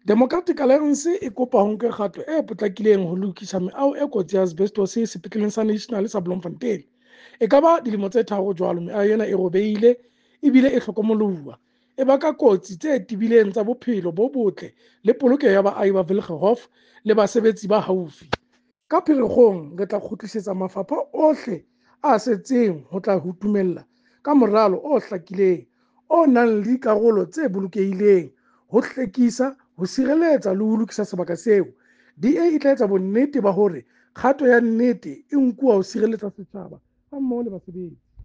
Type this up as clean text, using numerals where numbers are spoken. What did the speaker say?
Democratic Alliance e kopa ho nke kgato e potlakileng ho lokisa meaho e kotsi ya asbestos sepetleleng sa National sa Bloemfontein. E ka ba dilemo tse 3 jwalo meaho ena e robehile ebile e hlokomolohuwa, e baka kotsi tse tebileng tsa bophelo bo botle le polokeho ya baahi ba Wilgenhof le basebetsi ba haufi. Ka Pherekgong re tla kgutlisetsa mafapha ohle a setseng ho tla ho dumella ka moralo o hlakileng, o nang le dikarolo tse bolokehileng, ho hlwekisa, ho sireletsa le ho lokisa sebaka seo. DA e tla etsa bonnete ba hore kgato ya nnete e nkuwa ho sireletsa setjhaba hammoho le basebetsi.